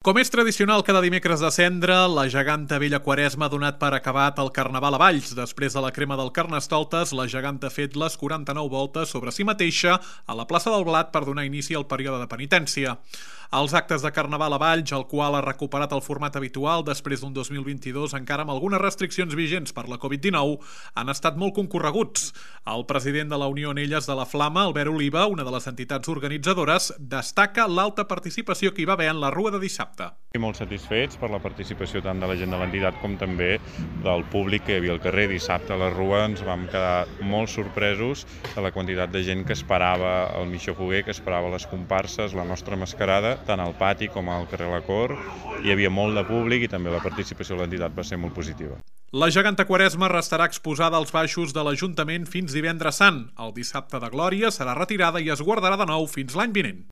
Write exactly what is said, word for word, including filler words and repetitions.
Com és tradicional cada dimecres de cendre, la geganta Vella Quaresma ha donat per acabat el Carnaval a Valls. Després de la crema del Carnestoltes, la geganta ha fet les quaranta-nou voltes sobre si mateixa a la plaça del Blat per donar inici al període de penitència. Els actes de Carnaval a Valls, el qual ha recuperat el format habitual després d'un dos mil vint-i-dos encara amb algunes restriccions vigents per la covid dinou, han estat molt concorreguts. El president de la Unió Anelles de la Flama, Albert Oliva, una de les entitats organitzadores, destaca l'alta participació que hi va haver en la rua de dissabte. I molt satisfets per la participació tant de la gent de l'entitat com també del públic que hi havia al carrer. Dissabte a la rua ens vam quedar molt sorpresos de la quantitat de gent que esperava el Missió Foguer, que esperava les comparses, la nostra mascarada, tant al pati com al carrer La Cor. Hi havia molt de públic i també la participació de l'entitat va ser molt positiva. La geganta Quaresma restarà exposada als baixos de l'Ajuntament fins divendres sant. El dissabte de Glòria serà retirada i es guardarà de nou fins l'any vinent.